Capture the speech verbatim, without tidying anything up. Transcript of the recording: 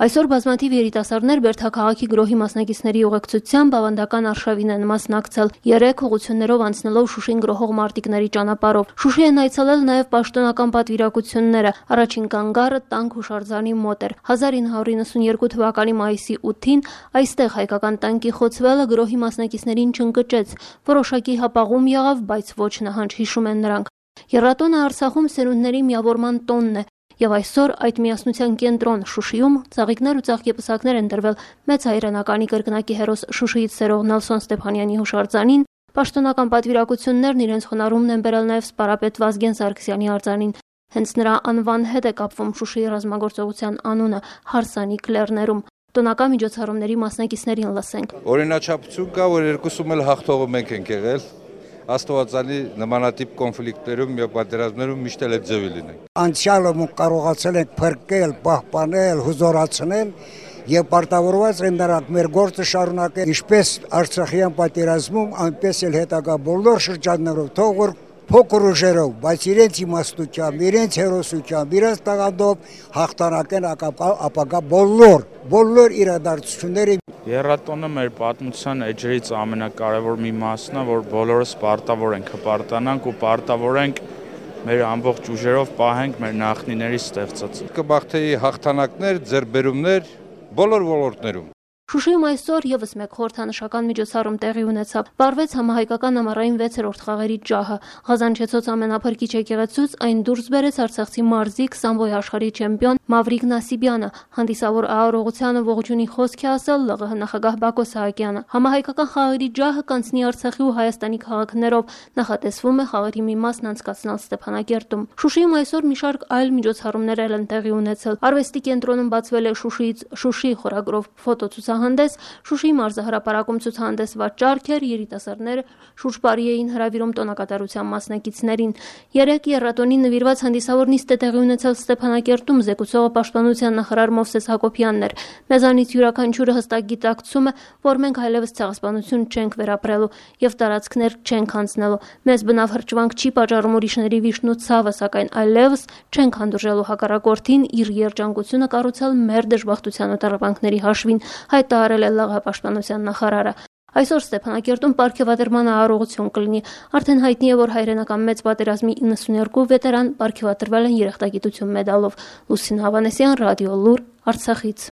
Այսօր բազմաթիվ երիտասարդներ Բերդաքաղաքի գրոհի մասնակիցների ուղեկցությամբ ավանդական արշավին են մասնակցել, երեք ուղղություններով անցնելով Շուշին գրոհող մարտիկների ճանապարհով։ Շուշի են այցելել նաև պաշտոնական պատվիրակությունները։ Առաջին կանգառը տանկ հուշարձանի մոտ էր։ հազար ինը հարյուր իննսունյերկու թվականի մայիսի ութին այստեղ հայկական տանկի խոցվելը գրոհի մասնակիցներին չընկճեց։ Որոշակի հապաղում եղավ, բայց ոչ նահանջ, հիշում են նրանք։ Եռատոնը Արցախում սերունդների միավորման տոնն է։ Եվ այսօր այդ միասնության կենտրոն Շուշիում ծաղիկներ ու ծաղկեպսակներ են տրվել մեծ հայրենականի կրկնակի հերոս Շուշիից սերող Նելսոն Ստեփանյանի հուշարձանին, պաշտոնական պատվիրակություններն իրենց խոնարհումն են բերել նաև սպարապետ Վազգեն Սարգսյանի արձանին։ Հենց նրա անվան հետ է կապվում Շուշիի ռազմագործողության անունը հարսանիք լեռներում։ Տոնական միջոցառումների մասնակիցներին լսենք։ Օրինաչափություն կա, որ երկուսում էլ հաղթողը մենք ենք եղել։ Աստվածանի նմանատիպ կոնֆլիկտներում եւ պատերազմներում միշտ էլ այդ ձևի լինենք։ Անցյալը կարողացել ենք փրկել, պահպանել, հզորացնել եւ պարտավորված են նրանք մեր գործը շարունակել ինչպես Արցախյան պատերազմում, այնպես էլ հետագա բոլոր շրջաններով, թող որ փոքր ուժերով, բայց իրենց իմաստությամբ, իրենց հերոսությամբ, իրենց տաղանդով հաղթանակեն ապագա բոլոր բոլոր իրադարձությունները։ Եռատոնը մեր պատմության էջերից ամենակարևոր մի մասն է, որ բոլորս պարտավոր ենք հպարտանանք ու պարտավոր ենք մեր ամբողջ ուժերով պահենք մեր նախնիների ստեղծած։ Կմաղթեի հաղթանակներ, ձեռքբերումներ բոլոր ոլորտներում։ Շուշիում այսօր եւս մեկ խորհրդանշական միջոցառում տեղի ունեցավ։ Վարվեց համահայկական ամառային վեցերորդ խաղերի ջահը։ Ղազանչեցոց ամենափրկիչ եկեղեցուց այն դուրս բերեց արցախցի մարզիկ սամբոյ աշխարհի չեմպիոն Մավրիկ Նասիբյանը։ Հանդիսավոր Արարողությանը ողջունի խոսք է ասել ԼՂՀ նախագահ Բակո Սահակյանը։ Համահայկական խաղերի ջահը կանցնի Արցախի ու Հայաստանի քաղաքներով։ Նախատեսվում է խաղերի մի մասն անցկացնել Ստեփանակերտում։ Շուշիում այսօր մի շարք այլ միջոցառումներ են տեղի ունեցել։ Արվեստի կենտրոնում բացվել է Շուշիից Շուշի խորագրով ֆոտոցուցահանդես, Շուշիի մարզահրապարակում ցուցահանդեսված ճարքեր, երիտասարդները շուրջ բարի էին հրավիրում տոնակատարության մասնակիցներին։ Երեք եռատոնի նվիրված հանդիսավոր նիստ է տեղի ունեցել Ստեփանակերտում, զեկուցողը պաշտպանության նախարար Մովսես Հակոբյանն էր։ Մեզանից յուրաքանչյուրը հստակ գիտակցում է, որ մենք այլևս ցեղասպանություն չենք վերապրելու եւ տարածքներ չենք հանձնելու։ Մեզ բնավ հրճվանք չի պատճառում ուրիշների վիշտն ու ցավը, սակայն այլևս չենք հանդուրժելու հակառակորդին իր երջանկությունը կառուցել մեր դժբախտության ու տառապանքների հաշվին, հայտարարել է ԼՂՀ պաշտպանության նախարարը։ Այսօր Ստեփանակերտում պարգևատրման արարողություն կլինի։ Արդեն հայտնի է, որ հայրենական մեծ պատերազմի իննսունյերկու վետերան պարգևատրվել են երախտագիտություն մեդալով։ Լուսին Հավանեսյան, Ռադիո Լուր, Արցախից։